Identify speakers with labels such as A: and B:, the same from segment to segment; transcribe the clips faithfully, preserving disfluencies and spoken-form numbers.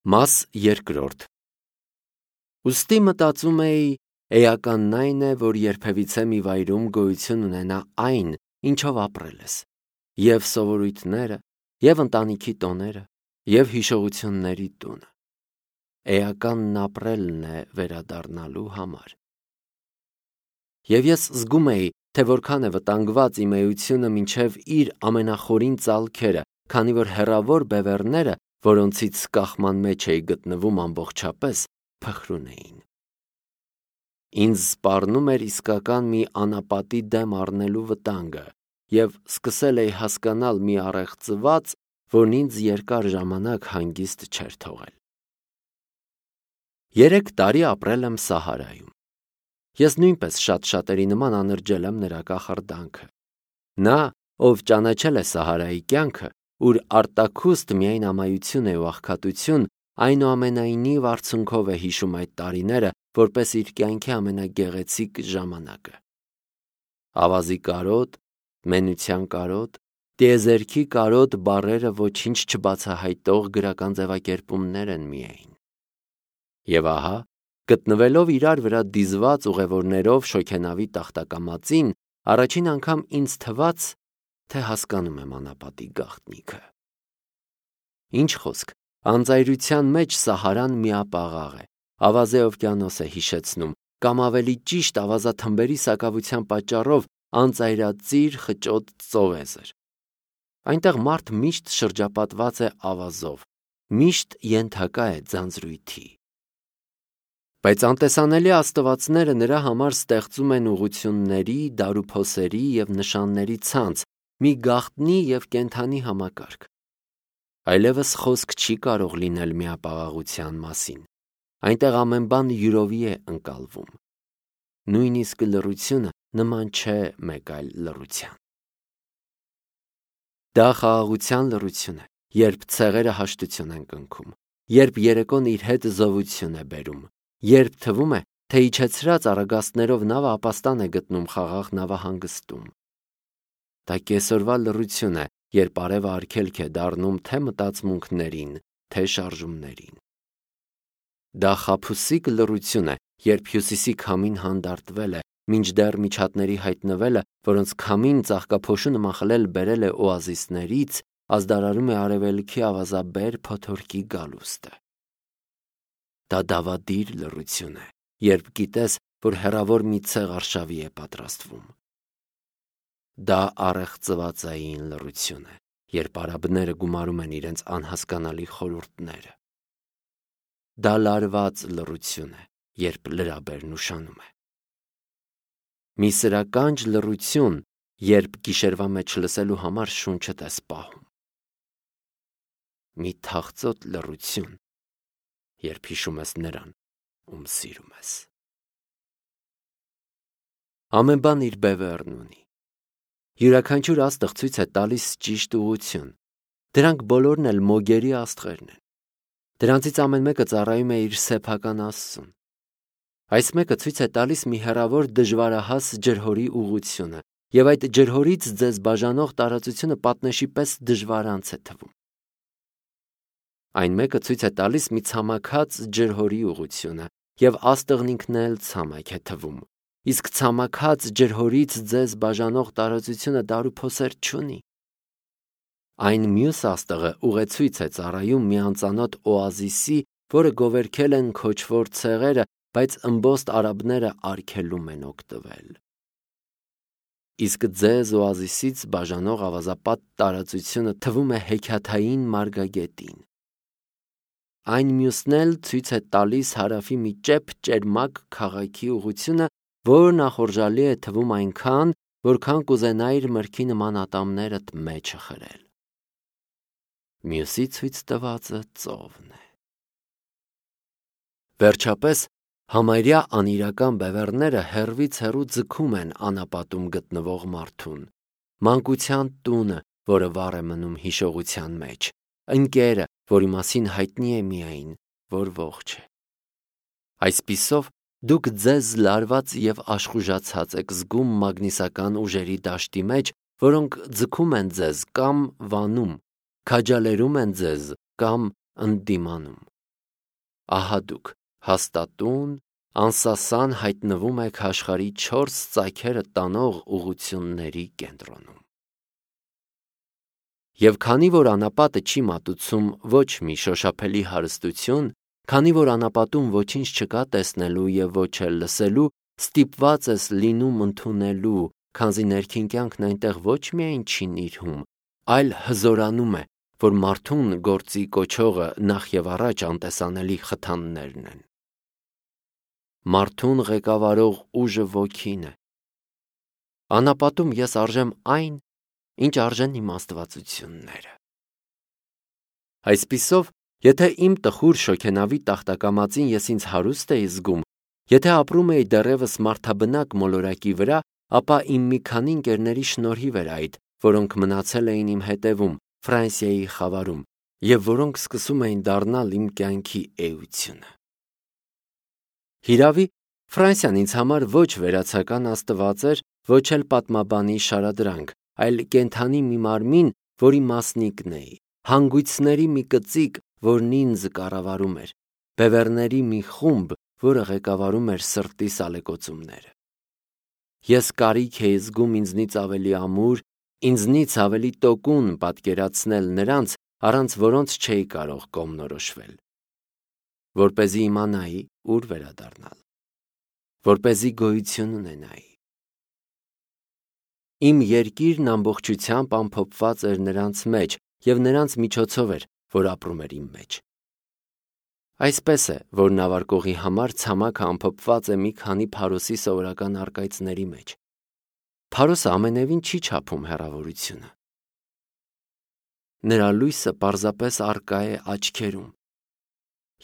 A: Մաս երկրորդ Ուստի մտածում էի, էականն այն է, որ երբևիցե մի վայրում գոյություն ունենա այն, ինչով ապրել ես, և սովորույթները, և ընտանիքի տոները, և հիշողությունների տունը։ Էականն ապրելն է վերադառնալու համար։ Եվ ես զգում էի, թե որքան է վտանգված իմ էությունը մինչև իր ամենախորին ծալքերը, քանի որ հեռավոր բևեռները, որոնցից կախման մեջ էի գտնվում ամբողջապես, փխրուն էին։ Ինձ սպառնում էր իսկական մի անապատի դեմ առնելու վտանգը, և սկսել էի հասկանալ մի առեղծված, որն ինձ երկար ժամանակ հանգիստ չէր թողել։ Երեք տարի ապրել եմ Սահարայում։ Ես նույնպես շատ-շատերի նման անրջել եմ նրա կախարդանքը։ Նա, ով ճանաչել է Սահարայի կյանքը, ուր արտաքուստ միայն ամայություն է ու աղքատություն, այնուամենայնիվ արցունքով է հիշում այդ տարիները, որպես իր կյանքի ամենագեղեցիկ ժամանակը։ Ավազի կարոտ, մենության կարոտ, տիեզերքի կարոտ բառերը ոչինչ չբացահայտող գրական ձևակերպումներ են միայն։ Եվ ահա, գտնվելով իրար վրա դիզված ուղևորներով շոգենավի տախտակամածին, առաջին անգամ ինձ թվաց, թե հասկանում եմ անապատի գաղտնիքը։ Ինչ խոսք, անծայրության մեջ Սահարան միապաղաղ է, ավազե օվկիանոս է հիշեցնում, կամ ավելի ճիշտ ավազաթմբերի սակավության պատճառով անծայրածիր խճոտ ծովեզր։ Այնտեղ մարդ միշտ շրջապատված է ավազով, միշտ ենթակա է ձանձրույթի։ Բայց անտեսանելի աստվածները նրա համար ստեղծում են ուղղությունների, դարուփոսերի և նշանների ցանց, մի գաղտնի և կենդանի համակարգ։ Այլևս խոսք չի կարող լինել միապաղաղության մասին։ Այնտեղ ամեն բան յուրովի է ընկալվում։ Նույնիսկ լռությունը նման չէ մեկ այլ լռության։ Դա խաղաղության լռություն է, երբ ցեղերը հաշտություն են կնքում, երբ երեկոն իր հետ զովություն է բերում, երբ թվում է, թե իջեցրած առագաստներով նավը ապաստան է գտնում խաղաղ նավահանգստում։ Դա կեսօրվա լռություն է, երբ արևը արգելք է դառնում թե մտածմունքներին, թե շարժումներին։ Դա խաբուսիկ լռություն է, երբ հյուսիսի քամին հանդարտվել է, մինչդեռ միջատների հայտնվելը, որոնց քամին ծաղկափոշու նման խլել բերել է օազիսներից, ազդարարում է արևելքի ավազաբեր փոթորկի գալուստը։ Դա դավադիր լռություն է, երբ գիտես, որ հեռավոր մի ցեղ արշավի է պատրաստվում։ Դա առեղծվածային լռություն է, երբ արաբները գումարում են իրենց անհասկանալի խորհուրդները։ Դա լարված լռություն է, երբ լրաբերն ուշանում է։ Մի սրականջ լռություն, երբ գիշերվա մեջ լսելու համար շունչդ ես պահում։ Մի թախծոտ լռություն, երբ հիշում ես նրան, ում սիրում ես։ Ամեն բան իր բևեռն ունի։ Յուրաքանչյուր աստղ ցույց է տալիս ճիշտ ուղղություն։ Դրանք բոլորն էլ մոգերի աստղերն են։ Դրանցից ամեն մեկը ծառայում է իր սեփական Աստծուն։ Այս մեկը ցույց է տալիս մի հեռավոր դժվարահաս ջրհորի ուղղությունը, և այդ ջրհորից ձեզ բաժանող տարածությունը պատնեշի պես դժվարանց է թվում։ Այն մեկը ցույց է տալիս մի ցամաքած ջրհորի ուղղությունը, և աստղն ինքն էլ ցամաք է թվում, իսկ ցամաքած ջրհորից ձեզ բաժանող տարածությունը դարուփոսեր չունի։ Այն մյուս աստղը ուղեցույց է ծառայում մի անծանոթ օազիսի, որը գովերգել են քոչվոր ցեղերը, բայց ըմբոստ արաբները արգելում են օգտվել։ Իսկ ձեզ օազիսից բաժանող ավազապատ տարածությունը թվում է հեքիաթային մարգագետին։ Այն մյուսն էլ ցույց է տալիս հարավի մի ճեպ ճերմակ քաղաքի ուղղությունը, որ նախորժալի է թվում այնքան, որքան կուզենայիր մրգի նման ատամներդ մեջը խրել։ Մյուսի ցույց տվածը ծովն է։ Վերջապես, համարյա անիրական բևեռները հեռվից հեռու ձգում են անապատում գտնվող մարդուն, մանկության տունը, որը վառ է մնում հիշողության մեջ, ընկերը, որի մասին հայտնի է միայն, որ ողջ է։ Այսպիսով, դուք ձեզ լարված և աշխուժացած եք զգում մագնիսական ուժերի դաշտի մեջ, որոնք ձգում են ձեզ կամ վանում, քաջալերում են ձեզ կամ ընդդիմանում։ ահա դուք հաստատուն, անսասան հայտնվում եք աշխարհի չորս ծագերը տանող ուղղությունների կենտրոնում։ Եվ քանի որ անապատը չի մատուցում ոչ մի շոշափելի հարստություն, քանի որ անապատում ոչինչ չկա տեսնելու և ոչ էլ լսելու, ստիպված ես լինում ընդունելու, քանզի ներքին կյանքն այնտեղ ոչ միայն չի նիրհում, այլ հզորանում է, որ մարդուն գործի կոչողը նախ և առաջ անտեսանելի խթաններն են։ Մարդուն ղեկավարող ուժը ոգին է։ Անապատում ես արժեմ այն, ինչ արժեն իմ աստվածությունները։ Այսպիսով, եթե իմ տխուր շոգենավի տախտակամածին ես ինձ հարուստ էի զգում, եթե ապրում էի դեռևս մարդաբնակ մոլորակի վրա, ապա իմ մի քանի ընկերների շնորհիվ էր այդ, որոնք մնացել էին իմ հետևում, Ֆրանսիայի խավարում, և որոնք սկսում էին դառնալ իմ կյանքի էությունը։ Հիրավի, Ֆրանսիան ինձ համար ոչ վերացական աստված էր, ոչ էլ պատմաբանի շարադրանք, այլ կենդանի մի մարմին, որի մասնիկն էի, հանգույցների մի կծիկ, որն ինձ կառավարում էր, բևեռների մի խումբ, որը ղեկավարում էր սրտիս ալեկոծումները։ Ես կարիք էի զգում ինձնից ավելի ամուր, ինձնից ավելի տոկուն պատկերացնել նրանց, առանց որոնց չէի կարող կողմնորոշվել, որպեսզի իմանայի, ուր վերադառնալ, որպեսզի գոյություն ունենայի։ Իմ երկիրն ամբողջությամբ ամփոփված էր նրանց մեջ և նրանց միջոցով էր, որ ապրում էր իմ մեջ։ Այսպես է, որ նավարկողի համար ցամաքը ամփոփված է մի քանի փարոսի սովորական առկայծների մեջ։ Փարոսը ամենևին չի չափում հեռավորությունը։ Նրա լույսը պարզապես առկա է աչքերում,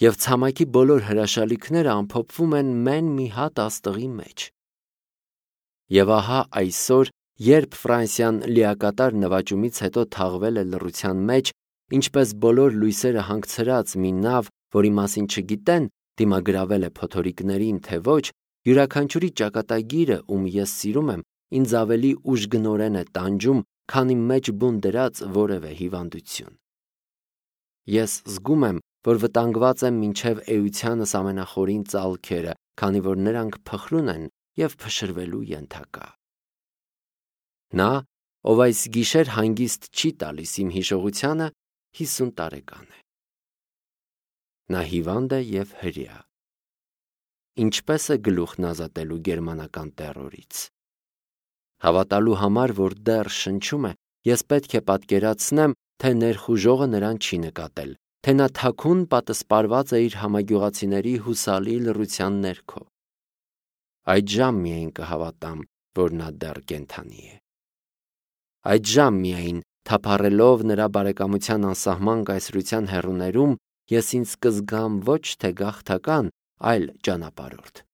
A: և ցամաքի բոլոր հրաշալիքները ամփոփվում են մեն մի հատ աստղի մեջ։ Եվ ահա այսօր, երբ Ֆրանսիան լիակատար նվաճումից հետո թաղվել է լռության մեջ, ինչպես բոլոր լույսերը հանգցրած մի նավ, որի մասին չգիտեն, դիմագրավել է փոթորիկներին, թե ոչ, յուրաքանչյուրի ճակատագիրը, ում ես սիրում եմ, ինձ ավելի ուժգնորեն է տանջում, քան իմ մեջ բուն դրած որևէ հիվանդություն։ Ես զգում եմ, որ վտանգված եմ մինչև էությանս ամենախորին ծալքերը, քանի որ նրանք փխրուն են և փշրվելու ենթակա։ Նա, ով այս գիշեր հանգիստ չի տալիս իմ հիշողությանը, հիսուն տարեկան է։ Նա հիվանդ է և հրեա։ Ինչպե՞ս է գլուխն ազատելու գերմանական տեռորից։ Հավատալու համար, որ դեռ շնչում է, ես պետք է պատկերացնեմ, թե ներխուժողը նրան չի նկատել, թե նա թաքուն պատսպարված է իր համագյուղացիների հուսալի լռության ներքո։ Այդժամ միայն կհավատամ, որ նա դեռ կենդանի է։ Այդժամ միայն, թափառելով նրա բարեկամության անսահման կայսրության հեռուներում, ես ինձ կզգամ ոչ թե գաղթական, այլ ճանապարհորդ։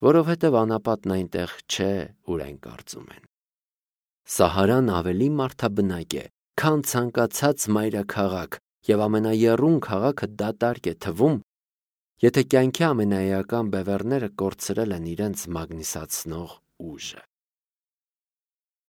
A: Որովհետև անապատն այնտեղ չէ, ուր այն կարծում են։ Սահարան ավելի մարդաբնակ է, քան ցանկացած մայրաքաղաք, և ամենաեռուն քաղաքը դատարկ է թվում, եթե կյանքի ամենաէական բևեռները կորցրել են իրենց մագնիսացնող ուժը։